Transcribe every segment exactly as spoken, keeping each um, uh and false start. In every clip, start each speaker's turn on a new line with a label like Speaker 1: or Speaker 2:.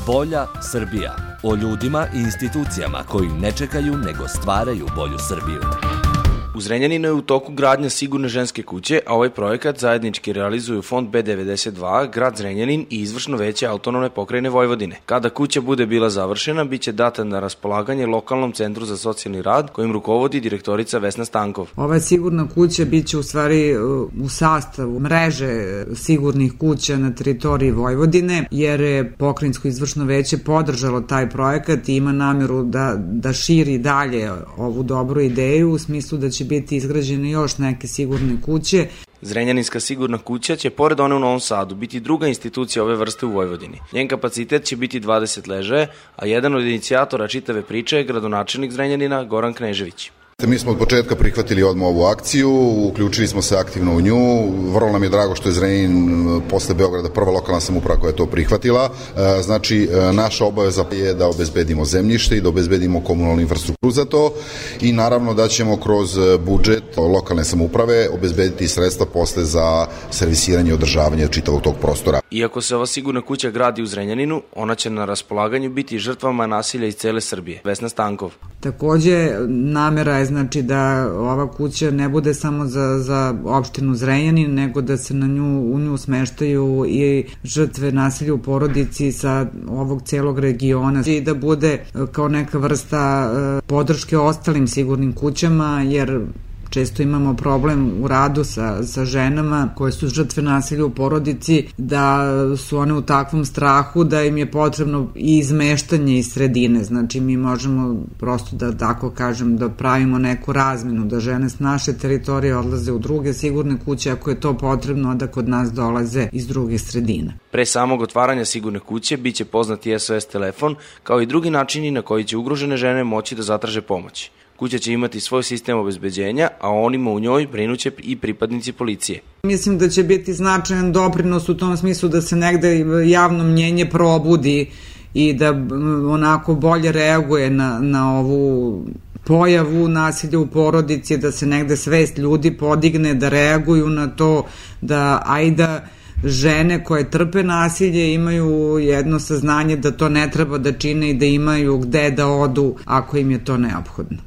Speaker 1: Bolja Srbija. O ljudima i institucijama koji ne čekaju nego stvaraju bolju Srbiju.
Speaker 2: U Zrenjaninu je u toku gradnja sigurne ženske kuće, a ovaj projekat zajednički realizuju Fond B devedeset dva, Grad Zrenjanin i Izvršno veće Autonomne pokrajine Vojvodine. Kada kuća bude bila završena, biće data na raspolaganje lokalnom centru za socijalni rad, kojim rukovodi direktorica Vesna Stankov.
Speaker 3: Ova sigurna kuća biće u stvari u sastavu mreže sigurnih kuća na teritoriji Vojvodine, jer je pokrajinsko izvršno veće podržalo taj projekat i ima nameru da, da širi dalje ovu dobru ideju u smislu da će biti izgrađene još neke sigurne kuće.
Speaker 2: Zrenjaninska sigurna kuća će, pored one u Novom Sadu, biti druga institucija ove vrste u Vojvodini. Njen kapacitet će biti dvadeset ležaja, a jedan od inicijatora čitave priče je gradonačelnik Zrenjanina Goran Knežević.
Speaker 4: Mi smo od početka prihvatili odmah ovu akciju, uključili smo se aktivno u nju, vrlo nam je drago što je Zrenjanin posle Beograda prva lokalna samouprava koja je to prihvatila. Znači, naša obaveza je da obezbedimo zemljište i da obezbedimo komunalnu infrastrukturu za to i naravno da ćemo kroz budžet lokalne samouprave obezbediti sredstva posle za servisiranje i održavanje čitavog tog prostora.
Speaker 2: Iako se ova sigurna kuća gradi u Zrenjaninu, ona će na raspolaganju biti žrtvama nasilja iz cele Srbije. Vesna Stankov.
Speaker 3: Takođe, namera je znači da ova kuća ne bude samo za, za opštinu Zrenjanin, nego da se na nju, u nju smeštaju i žrtve nasilja u porodici sa ovog celog regiona i da bude kao neka vrsta podrške ostalim sigurnim kućama, jer često imamo problem u radu sa, sa ženama koje su žrtve nasilja u porodici, da su one u takvom strahu da im je potrebno i izmeštanje iz sredine. Znači mi možemo prosto da tako kažem da pravimo neku razmenu, da žene s naše teritorije odlaze u druge sigurne kuće ako je to potrebno, da kod nas dolaze iz druge sredine.
Speaker 2: Pre samog otvaranja sigurne kuće biće poznati S O S telefon, kao i drugi načini na koji će ugrožene žene moći da zatraže pomoć. Kuća će imati svoj sistem obezbeđenja, a onima u njoj brinuće i pripadnici policije.
Speaker 3: Mislim da će biti značajan doprinos u tom smislu da se negde javno mnjenje probudi i da onako bolje reaguje na, na ovu pojavu nasilja u porodici, da se negde svest ljudi podigne, da reaguju na to, da ajda žene koje trpe nasilje imaju jedno saznanje da to ne treba da čine i da imaju gde da odu ako im je to neophodno.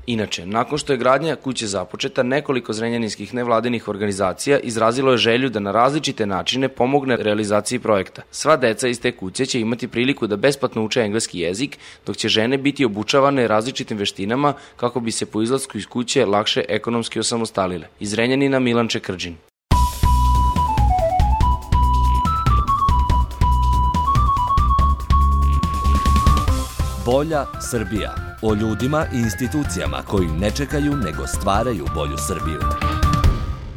Speaker 2: Inače, nakon što je gradnja kuće započeta, nekoliko zrenjaninskih nevladinih organizacija izrazilo je želju da na različite načine pomogne realizaciji projekta. Sva deca iz te kuće će imati priliku da besplatno uče engleski jezik, dok će žene biti obučavane različitim veštinama kako bi se po izlasku iz kuće lakše ekonomski osamostalile. Iz Zrenjanina Milan Čekrdžin.
Speaker 1: Bolja Srbija. O ljudima i institucijama koji ne čekaju nego stvaraju bolju Srbiju.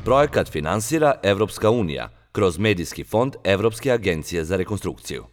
Speaker 1: Projekat finansira Evropska unija kroz Medijski fond Evropske agencije za rekonstrukciju.